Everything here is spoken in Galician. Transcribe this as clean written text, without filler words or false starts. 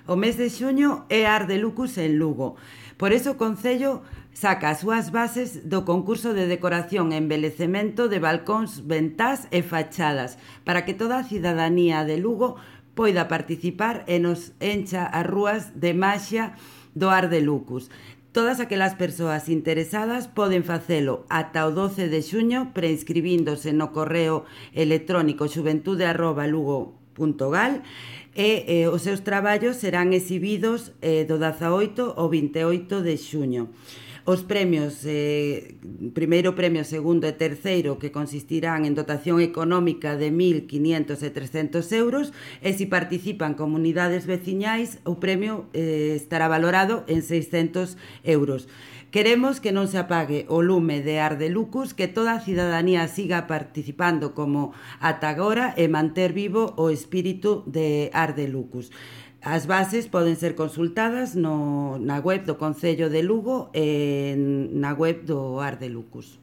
O mes de xuño é Art de Lucus en Lugo. Por iso o Concello saca as súas bases do concurso de decoración e embelecemento de balcóns, ventás e fachadas para que toda a cidadanía de Lugo poida participar e nos encha as rúas de maxia do Art de Lucus. Todas aquelas persoas interesadas poden facelo ata o 12 de xuño preinscribíndose no correo electrónico xuventude@lugo.gal e os seus traballos serán exhibidos do 18 ao 28 de xuño. Os premios, primeiro premio, segundo e terceiro, que consistirán en dotación económica de 1.500 e 300 euros, e se participan comunidades veciñais, o premio estará valorado en 600 euros. Queremos que non se apague o lume de Art de Lucus, que toda a cidadanía siga participando como ata agora e manter vivo o espírito de Art de Lucus. As bases poden ser consultadas na web do Concello de Lugo e na web do Art de Lucus.